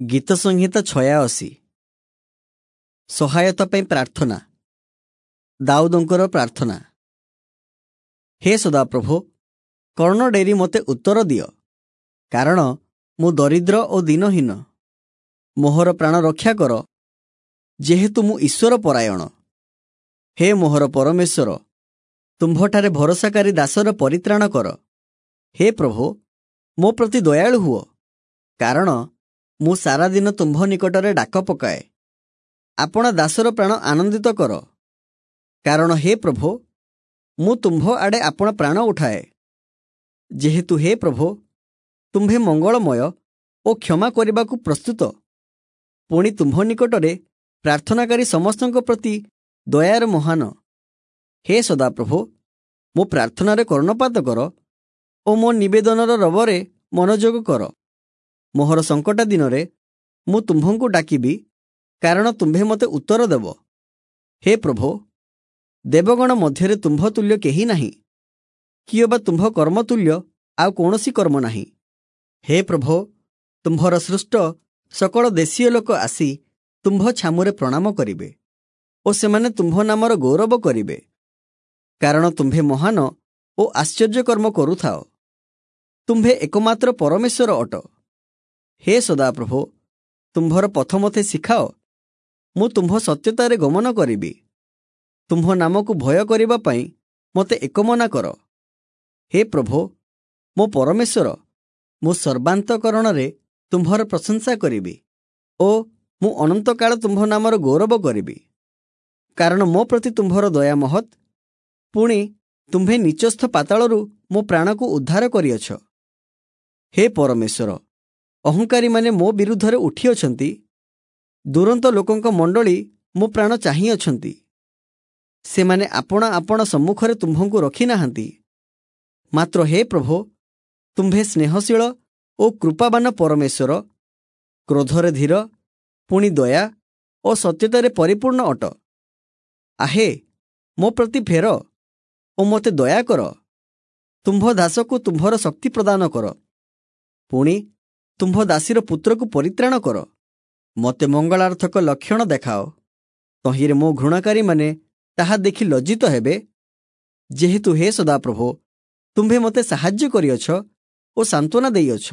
ଗୀତ ସଂହିତା 86। ସହାୟତା ପାଇଁ ପ୍ରାର୍ଥନା। ଦାଉଦଙ୍କର ପ୍ରାର୍ଥନା। ହେ ସଦାପ୍ରଭୁ, କର୍ଣ୍ଣ ଡେରି ମୋତେ ଉତ୍ତର ଦିଅ, କାରଣ ମୁଁ ଦରିଦ୍ର ଓ ଦୀନହୀନ। ମୋହର ପ୍ରାଣ ରକ୍ଷା କର, ଯେହେତୁ ମୁଁ ଈଶ୍ୱର ପରାୟଣ। ହେ ମୋହର ପରମେଶ୍ୱର, ତୁମ୍ଭଠାରେ ଭରସାକାରୀ ଦାସର ପରିତ୍ରାଣ କର। ହେ ପ୍ରଭୁ, ମୋ ପ୍ରତି ଦୟାଳୁ ହୁଅ, କାରଣ ମୁଁ ସାରାଦିନ ତୁମ୍ଭ ନିକଟରେ ଡାକ ପକାଏ। ଆପଣା ଦାସର ପ୍ରାଣ ଆନନ୍ଦିତ କର, କାରଣ ହେ ପ୍ରଭୁ, ମୁଁ ତୁମ୍ଭ ଆଡ଼େ ଆପଣା ପ୍ରାଣ ଉଠାଏ। ଯେହେତୁ ହେ ପ୍ରଭୁ, ତୁମ୍ଭେ ମଙ୍ଗଳମୟ ଓ କ୍ଷମା କରିବାକୁ ପ୍ରସ୍ତୁତ, ପୁଣି ତୁମ୍ଭ ନିକଟରେ ପ୍ରାର୍ଥନାକାରୀ ସମସ୍ତଙ୍କ ପ୍ରତି ଦୟାର ମହାନ। ହେ ସଦାପ୍ରଭୁ, ମୋ ପ୍ରାର୍ଥନାରେ କର୍ଣ୍ଣପାତ କର ଓ ମୋ ନିବେଦନର ରବରେ ମନୋଯୋଗ କର। ମୋହର ସଙ୍କଟ ଦିନରେ ମୁଁ ତୁମ୍ଭଙ୍କୁ ଡାକିବି, କାରଣ ତୁମ୍ଭେ ମୋତେ ଉତ୍ତର ଦେବ। ହେ ପ୍ରଭୁ, ଦେବଗଣ ମଧ୍ୟରେ ତୁମ୍ଭ ତୁଲ୍ୟ କେହି ନାହିଁ, କିଅବା ତୁମ୍ଭ କର୍ମ ତୁଲ୍ୟ ଆଉ କୌଣସି କର୍ମ ନାହିଁ। ହେ ପ୍ରଭୁ, ତୁମ୍ଭର ସୃଷ୍ଟ ସକଳ ଦେଶୀୟ ଲୋକ ଆସି ତୁମ୍ଭ ଛାମୁରେ ପ୍ରଣାମ କରିବେ ଓ ସେମାନେ ତୁମ୍ଭ ନାମର ଗୌରବ କରିବେ, କାରଣ ତୁମ୍ଭେ ମହାନ ଓ ଆଶ୍ଚର୍ଯ୍ୟ କର୍ମ କରୁଥାଅ। ତୁମ୍ଭେ ଏକମାତ୍ର ପରମେଶ୍ୱର ଅଟ। ହେ ସଦାପ୍ରଭୁ, ତୁମ୍ଭର ପଥ ମୋତେ ଶିଖାଅ, ମୁଁ ତୁମ୍ଭ ସତ୍ୟତାରେ ଗମନ କରିବି। ତୁମ୍ଭ ନାମକୁ ଭୟ କରିବା ପାଇଁ ମୋତେ ଏକମନା କର। ହେ ପ୍ରଭୁ, ମୋ ପରମେଶ୍ୱର, ମୁଁ ସର୍ବାନ୍ତକରଣରେ ତୁମ୍ଭର ପ୍ରଶଂସା କରିବି ଓ ମୁଁ ଅନନ୍ତକାଳ ତୁମ୍ଭ ନାମର ଗୌରବ କରିବି, କାରଣ ମୋ ପ୍ରତି ତୁମ୍ଭର ଦୟା ମହତ୍, ପୁଣି ତୁମ୍ଭେ ନୀଚସ୍ଥ ପାତାଳରୁ ମୋ ପ୍ରାଣକୁ ଉଦ୍ଧାର କରିଅଛ। ହେ ପରମେଶ୍ୱର, ଅହଙ୍କାରୀମାନେ ମୋ ବିରୁଦ୍ଧରେ ଉଠିଅଛନ୍ତି, ଦୁରନ୍ତ ଲୋକଙ୍କ ମଣ୍ଡଳୀ ମୋ ପ୍ରାଣ ଚାହିଁଅଛନ୍ତି। ସେମାନେ ଆପଣା ଆପଣା ସମ୍ମୁଖରେ ତୁମ୍ଭଙ୍କୁ ରଖିନାହାନ୍ତି। ମାତ୍ର ହେ ପ୍ରଭୁ, ତୁମ୍ଭେ ସ୍ନେହଶୀଳ ଓ କୃପାବାନ ପରମେଶ୍ୱର, କ୍ରୋଧରେ ଧୀର, ପୁଣି ଦୟା ଓ ସତ୍ୟତାରେ ପରିପୂର୍ଣ୍ଣ ଅଟ। ଆହେ, ମୋ ପ୍ରତି ଫେର ଓ ମୋତେ ଦୟା କର। ତୁମ୍ଭ ଦାସକୁ ତୁମ୍ଭର ଶକ୍ତି ପ୍ରଦାନ କର, ପୁଣି ତୁମ୍ଭ ଦାସୀର ପୁତ୍ରକୁ ପରିତ୍ରାଣ କର। ମୋତେ ମଙ୍ଗଳାର୍ଥକ ଲକ୍ଷଣ ଦେଖାଅ, ତହିଁରେ ମୋ ଘୃଣାକାରୀମାନେ ତାହା ଦେଖି ଲଜ୍ଜିତ ହେବେ। ଯେହେତୁ ହେ ସଦାପ୍ରଭୁ, ତୁମ୍ଭେ ମୋତେ ସାହାଯ୍ୟ କରିଅଛ ଓ ସାନ୍ତ୍ୱନା ଦେଇଅଛ।